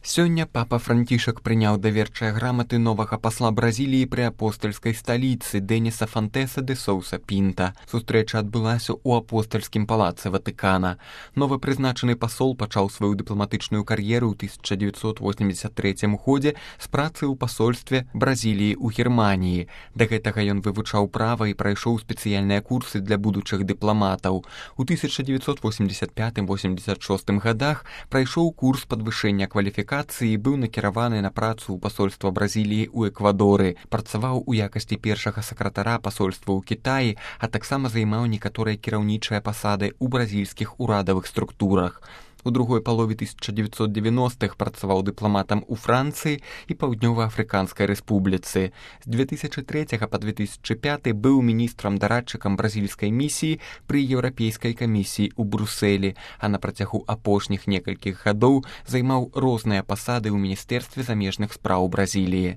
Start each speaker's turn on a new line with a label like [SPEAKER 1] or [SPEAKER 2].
[SPEAKER 1] Сёння папа Францішак прыняў даверчыя граматы новага пасла Бразіліі пры апостальскай сталіцы Дэніса Фонтеса де Соуса Пінта. Сустрэча адбылася ў апостальскім палацы Ватыкана. Новы прызначаны пасол пачаў сваю дыпламатычную кар'еру ў 1983 годзе з працы ў пасольстве Бразіліі ў Германіі. Да гэтага ён вывучаў права і прайшоў спецыяльныя курсы для будучых дыпламатаў. У 1985-86 годах прайшоў курс падвышэння кваліфікацыі і быў накіраваны на працу ў пасольства Бразіліі ў Эквадоры. Працаваў у якасці першага сакратара пасольства ў Кітаі, а таксама займаў некаторыя кіраўнічыя пасады ў бразільскіх урадавых структурах. У другой палове 1990-х працаваў дыпламатам у Францыі і Паўднёва-Афрыканскай рэспубліцы. З 2003 па 2005 быў міністрам-дарадчыкам бразільскай місіі пры Еўрапейскай камісіі ў Брусэлі, а на працягу апошніх некалькіх гадоў займаў розныя пасады ў Міністэрстве замежных спраў Бразіліі.